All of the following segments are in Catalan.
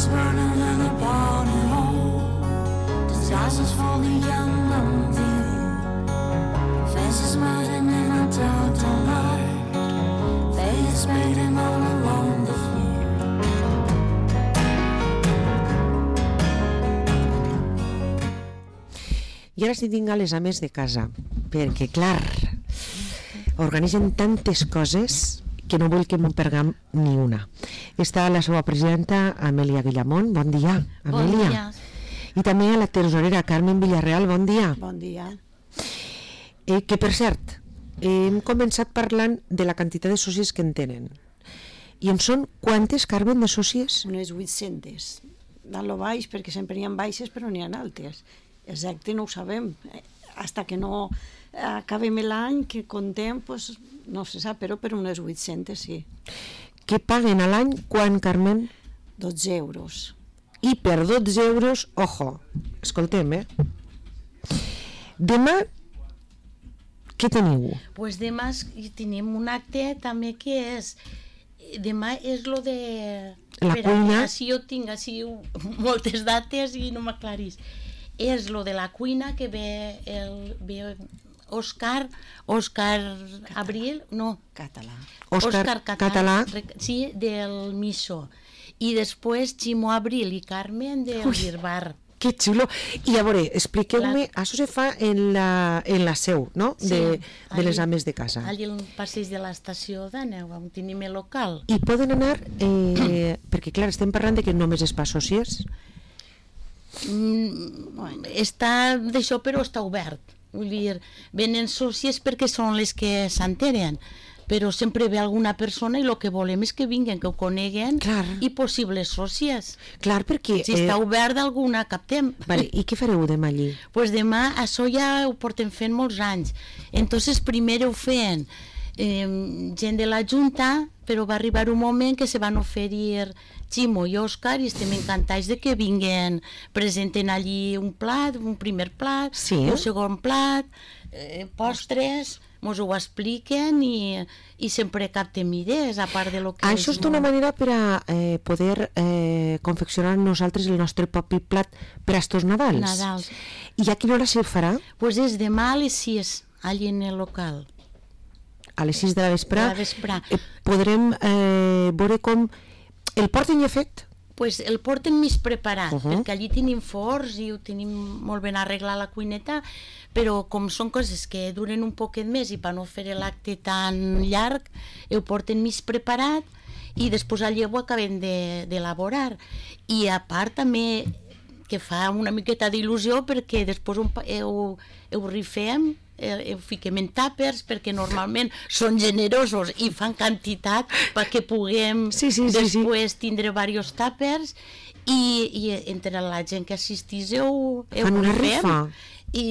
burning in the party hall. The tassels for the young and the old. Faces melting in a total night. Faces fading all along the floor. I ara sí tinc a les ames de casa, perquè, clar, organitzen tantes coses que no vull que m'ho pergam ni una. Està la seva presidenta, Amèlia Guillamont. Bon dia, Amèlia. Bon dia. I també a la tesorera, Carmen Villarreal. Bon dia. Bon dia. Que, per cert, hem començat parlant de la quantitat de sòcies que en tenen. I en són quantes, Carmen, de sòcies? Unes 800. Dalt lo baix, perquè sempre n'hi ha baixes, però n'hi ha altes. Exacte, no ho sabem. Hasta que no acabem l'any, que contem, pues, no se sap, però per unes 800, sí. Que paguen a l'any quan, Carmen? 12 euros. I per 12 euros, ojo, escoltem, Demà, què teniu? Pues demà tenim un acte també que és... Demà és lo de... La cuina? Així jo tinc així moltes dates i no m'aclarís. És lo de la cuina que ve Òscar Abril, no. Català. Òscar Català. Sí, del Miso. I després Ximo Abril i Carmen del Birbar. Que xulo. I a veure, expliqueu-me, això se fa en la seu, no? Sí, de les ames de casa. Allí al passeig de l'estació d'Aneu, on tenim el local. I poden anar, perquè clar, estem parlant de que només és per sòcies. Està d'això, però està obert. Vull dir, venen sòcies perquè són les que s'enteren, però sempre ve alguna persona i el que volem és que vinguen, que ho coneguen. Clar. I possibles sòcies. Clar, perquè... Si està obert d'alguna, captem. Vale, i què fareu demà allí? Pues demà això ja ho portem fent molts anys. Entonces primer ho feien gent de la Junta, però va arribar un moment que se van oferir Ximo i Òscar i estem encantats de que vinguen, presenten allí un plat, un primer plat, sí, un segon plat, postres, mos ho expliquen i sempre captem idees a part de lo que... Això és d'una manera per a poder confeccionar nosaltres el nostre propi plat per a estos Nadals. I a quina hora se farà? Pues és demà a les 6, allí en el local. A les 6 de la vesprà. Podrem veure com el porten ja fet? Pues el porten més preparat, perquè allí tenim forns i ho tenim molt ben arreglat la cuineta, però com són coses que duren un poquet més i per no fer l'acte tan llarg, ho porten més preparat i després allí ho acabem d'elaborar. I a part també que fa una miqueta d'il·lusió perquè després ho rifem, ho fiquem en tàpers perquè normalment són generosos i fan quantitat perquè puguem després tindre diversos tàpers i entre la gent que assistís ho rifem i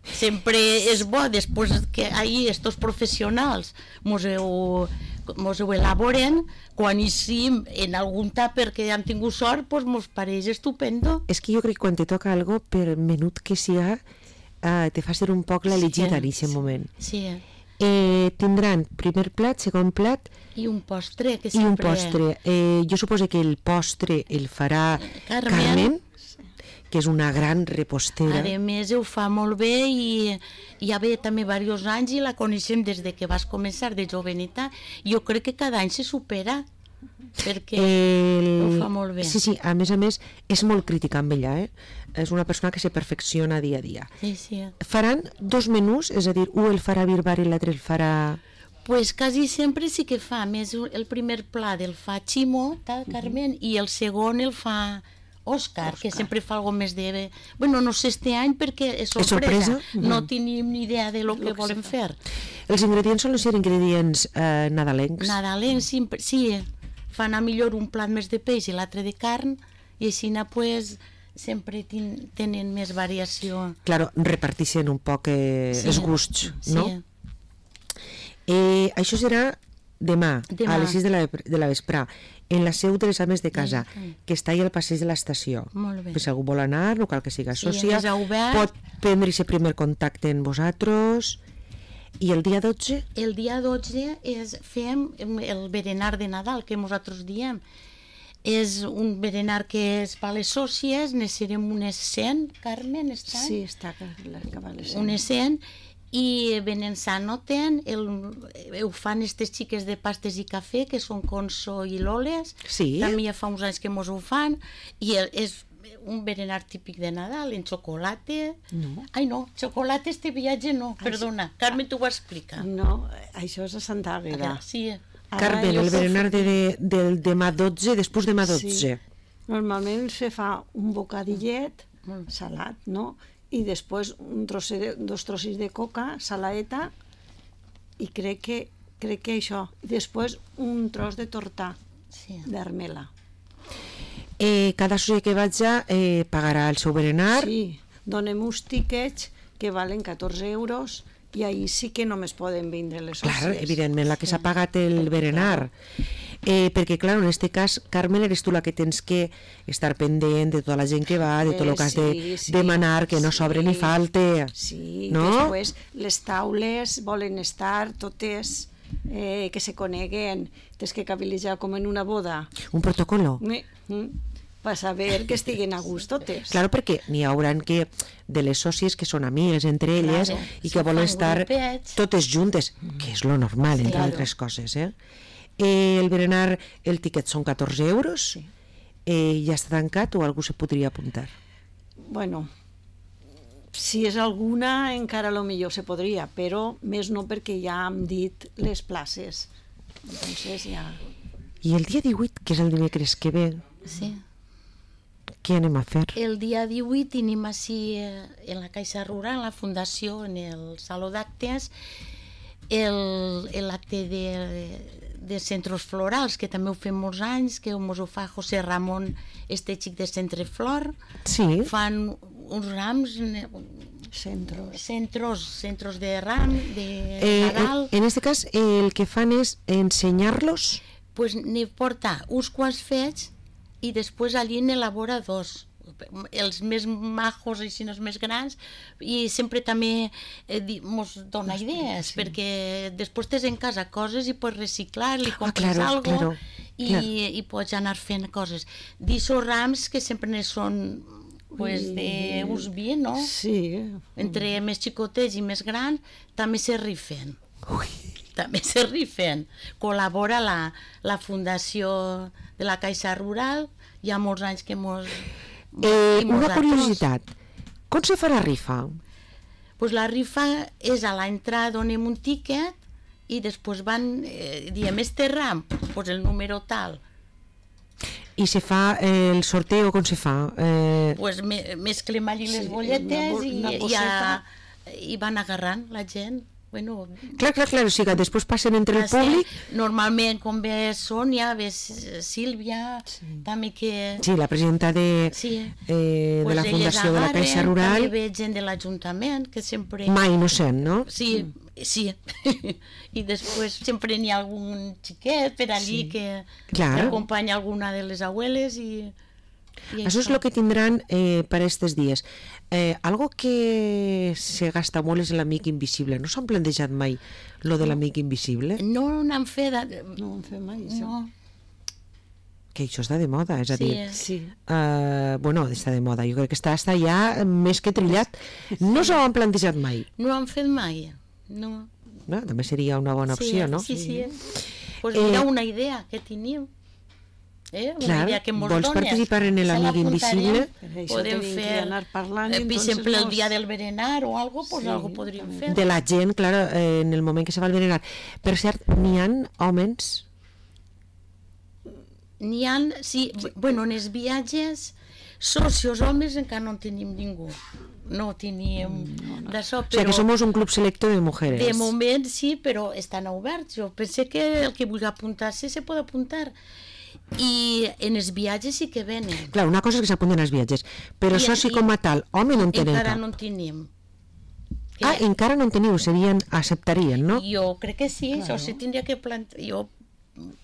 sempre és bo després que ahir estos professionals mos ho elaboren, quan hi sim en algun tàper que han tingut sort, pues mos pareix estupendo. És que jo crec que quan te toca algo, per menut que siga, te fa ser un poc l'elegida en aquest moment. Sí. Tindran primer plat, segon plat i un postre. I un postre. Jo suposo que el postre el farà Carmen, que és una gran repostera. A més, ho fa molt bé i ja ve també diversos anys i la coneixem des de que vas començar de joveneta. Jo crec que cada any se supera perquè ho fa molt bé. Sí, a més, és molt crítica amb ella, És una persona que se perfecciona dia a dia. Sí. Faran 2 menús, és a dir, un el farà Birbar i l'altre el farà... Pues quasi sempre sí que fa, més el primer plat el fa Ximo, Carmen, i el segon el fa Òscar, que sempre fa alguna més de... Bueno, no sé este any perquè és sorpresa. No tenim ni idea de lo que volem fer. Els ingredients són els ingredients nadalencs? Nadalencs, sí. Fan a millor un plat més de peix i l'altre de carn i així pues sempre tenen més variació. Claro, reparteixen un poc els gusts, no? Això serà demà, a les 6 de la vesprà, en la seu de les ames de casa, que està allà al passeig de l'estació. Si algú vol anar, no cal que siga sòcia, pot prendre aquest primer contacte amb vosaltres. I el dia 12? El dia 12 fem el berenar de Nadal, que nosaltres diem. És un berenar que és per les sòcies, ne serem unes 100, Carmen, estan? Sí, està acaba les 100. Unes 100, i venen s'anoten, ho fan aquestes xiques de pastes i cafè, que són Conso i Loles, també ja fa uns anys que mos ho fan, i és un berenar típic de Nadal, en xocolata. No. Ai, no, xocolata este viatge no, perdona, Carmen t'ho va explicar. No, això és a Santa Àgueda. Sí. Carmen, el berenar del demà 12, després demà 12. Sí. Normalment se fa un bocadillet salat, no? I després dos trossos de coca, salaeta, i crec que això. Després un tros de tortà d'armela. Cada soci que vaja pagarà el seu berenar. Sí, donem uns tíquets que valen 14 euros, i ahir sí que només poden vindre les sòcies. Clar, evidentment, la que s'ha pagat el berenar. Perquè, clar, en aquest cas, Carmen, eres tu la que tens que estar pendent de tota la gent que va, de tot el que has de demanar, que no sobre ni falte. Sí, no? Després les taules volen estar totes que se coneguen, tens que cabilitzar com en una boda. Un protocolo. Per saber que estiguen a gust totes. Claro, perquè n'hi hauran que de les sòcies que són amigues entre elles i que volen estar totes juntes, que és lo normal, entre altres coses. El berenar, el tiquet són 14 euros, ja està tancat o algú se podria apuntar? Bueno, si és alguna encara lo millor se podria, però més no perquè ja hem dit les places. Entonces ja... I el dia 18, que és el dimecres que ve, què anem a fer? El dia 18 tenim així en la Caixa Rural, en la Fundació, en el Saló d'Actes, l'acte de centres florals, que també ho fem molts anys, que ens ho fa José Ramon, este xic de Centre Flor. Sí. Fan uns rams... Centros de ram, de Nadal. En aquest cas, el que fan és ensenyar-los? Pues n'hi porta uns quants fets i després allí n'elabora dos, els més majos i els més grans, i sempre també ens dona idees, perquè després tens en casa coses i pots reciclar, li compres alguna cosa i pots anar fent coses. D'aixòs rams que sempre ne són d'ús 20, no? Sí. Entre més xicotets i més grans també se rifen. També se rifen. Col·labora la Fundació de la Caixa Rural, hi ha molts anys que una curiositat, com se fa la rifa? Pues la rifa és a l'entrada, donem un tíquet i després van, diem, este ram, pues el número tal. I se fa el sorteo, com se fa? Pues mesclem allí les bolletes i van agarrant la gent. Bueno, clar, o sigui, després passen entre el públic. Normalment, com ve Sònia, ve Sílvia, també que... Sí, la presidenta de la Fundació de la Caixa Rural. També ve gent de l'Ajuntament, que sempre... Mai innocent, no? Sí. I després sempre n'hi ha algun xiquet per allí que acompanya alguna de les abueles i... Això és el que tindran per aquests dies. Algo que se gasta molt és l'amic invisible. No s'han plantejat mai lo de l'amic invisible? No n'han fet... No ho han fet mai, això. Que això està de moda, és a dir... Bueno, està de moda. Jo crec que està ja més que trillat. No s'ho han plantejat mai. No ho han fet mai, no. També seria una bona opció, no? Sí. Pues mira una idea que tenim. Clar, vols participar en l'amic invisible? Podem fer, per exemple, el dia del berenar o algo, pues algo podríem fer. De la gent, clar, en el moment que se va al berenar. Per cert, n'hi ha homes? N'hi ha, sí, bueno, en els viatges, socios homes encara no en tenim ningú. No tenim d'això, però... O sigui que som un club selecto de mujeres. De moment sí, però estan oberts. Jo penso que el que vulgui apuntar-se se pot apuntar. I en els viatges sí que venen. Clar, una cosa és que s'apunten als viatges, però això sí com a tal, home no en tenen encara no en tenim. Encara no en teniu, acceptarien, no? Jo crec que sí, això sí tindria que plantejar. Jo,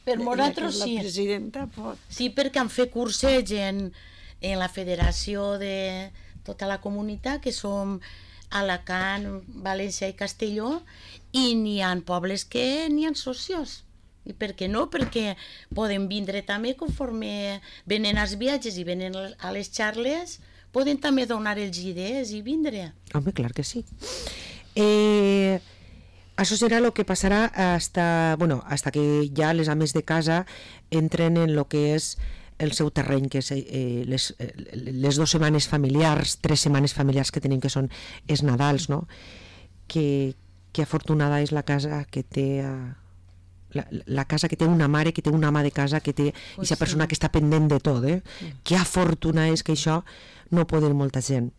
per nosaltres sí. La presidenta pot. Sí, perquè han fet curseig en la federació de tota la comunitat, que som Alacant, València i Castelló, i n'hi ha pobles que n'hi ha socios. I per què no? Perquè poden vindre també conforme venen als viatges i venen a les xarles, poden també donar els idees i vindre. Home, clar que sí. Això serà el que passarà hasta que ja les ames de casa entren en el que és el seu terreny, que és les 2 setmanes familiars, 3 setmanes familiars que tenim, que són els Nadals, no? Que afortunada és la casa que té la casa que té una mare, que té una ama de casa, que té aquesta persona que està pendent de tot, que afortuna és que això no ho pot dir molta gent.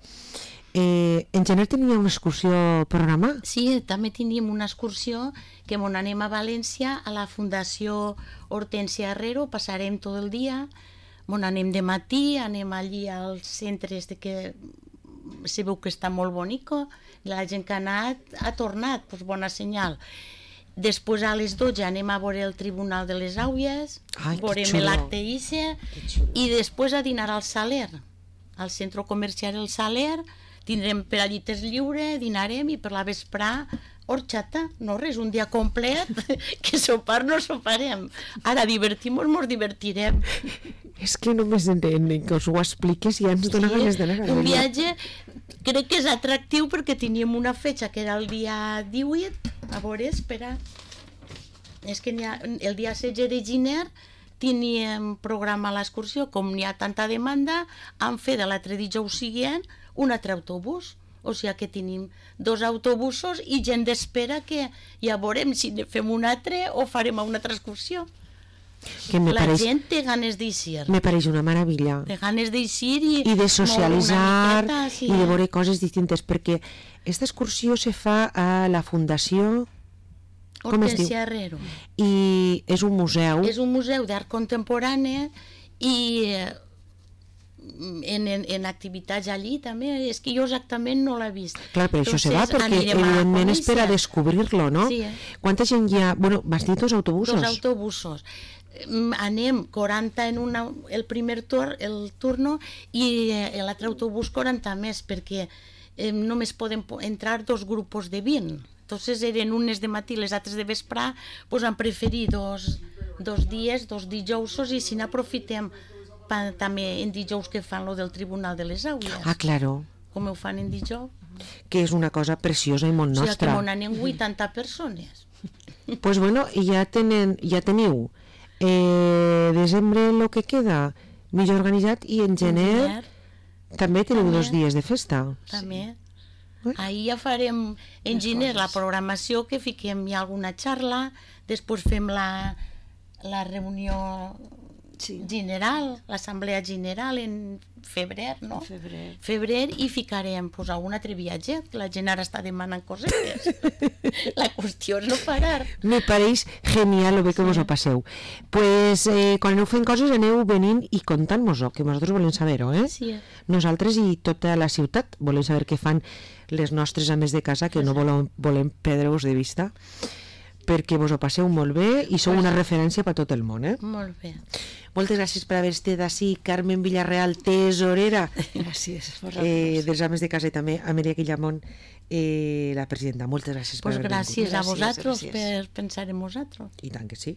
En gener tenia una excursió programada? Sí, també teníem una excursió que anem a València, a la Fundació Hortència Herrero, passarem tot el dia, anem de matí, anem allí als centres que se veu que està molt bonico, la gent que ha anat ha tornat, doncs bona senyal. Després a les 12 anem a veure el Tribunal de les Àuies, veurem l'acte ICE, i després a dinar al Saler, al centre comercial El Saler, tindrem per allí temps lliure, dinarem i per la vesprà horxata, no res, un dia complet, que sopar no soparem. Ara divertim-nos, mos divertirem. És que només que us ho expliques i ja ens dona ganes d'anar. Un viatge crec que és atractiu perquè teníem una fetge que era el dia 18, a veure, espera, és que el dia 16 de gener teníem programa l'excursió, com n'hi ha tanta demanda, han fet l'altre dijous següent un altre autobús, o sigui que tenim 2 autobusos i gent d'espera que ja veurem si fem un altre o farem una altra excursió. Gent té ganes d'eixir. Me pareix una meravella. Té ganes d'eixir i de socialitzar i de veure coses distintes, perquè aquesta excursió se fa a la Fundació Hortència Herrero. I és un museu. És un museu d'art contemporani i en activitats allí també, és que jo exactament no l'he vist. Clar, per això se va, perquè evidentment és per a descobrir-lo, no? Sí. Quanta gent hi ha? Bueno, m'has dit 2 autobusos? 2 autobusos. Anem 40 en el primer turno i l'altre autobús 40 més, perquè només poden entrar 2 grupos de 20. Entonces eren unes de matí, les altres de vesprà, pues han preferit dos dies, 2 dijousos, i si n'aprofitem també en dijous que fan lo del Tribunal de les Àuies. Ah, claro. Com ho fan en dijous. Que és una cosa preciosa i molt nostra. O sigui que m'on anem 80 persones. Pues bueno, ja teniu desembre el que queda millor organitzat, i en gener també teniu 2 dies de festa. També. Ahir ja farem en gener la programació, que fiquem ja alguna xarla, després fem la reunió general, l'assemblea general en febrer, no? Febrer, i ficarem algun altre viatge, que la gent ara està demanant cosetes. La qüestió és no parar. Me pareix genial el bé que vos ho passeu. Pues quan aneu fent coses aneu venint i contant-nos-ho, que nosaltres volem saber-ho, Sí. Nosaltres i tota la ciutat volem saber què fan les nostres ames de casa, que no volem perdre-vos de vista, perquè vos ho passeu molt bé i sou una referència per tot el món. Molt bé. Moltes gràcies per haver estat ací, Carmen Villarreal, tesorera. Gràcies. Dels ames de casa, i també a Maria Guillamón, la presidenta. Moltes gràcies per haver vingut. Gràcies a vosaltres per pensar en vosaltres. I tant que sí.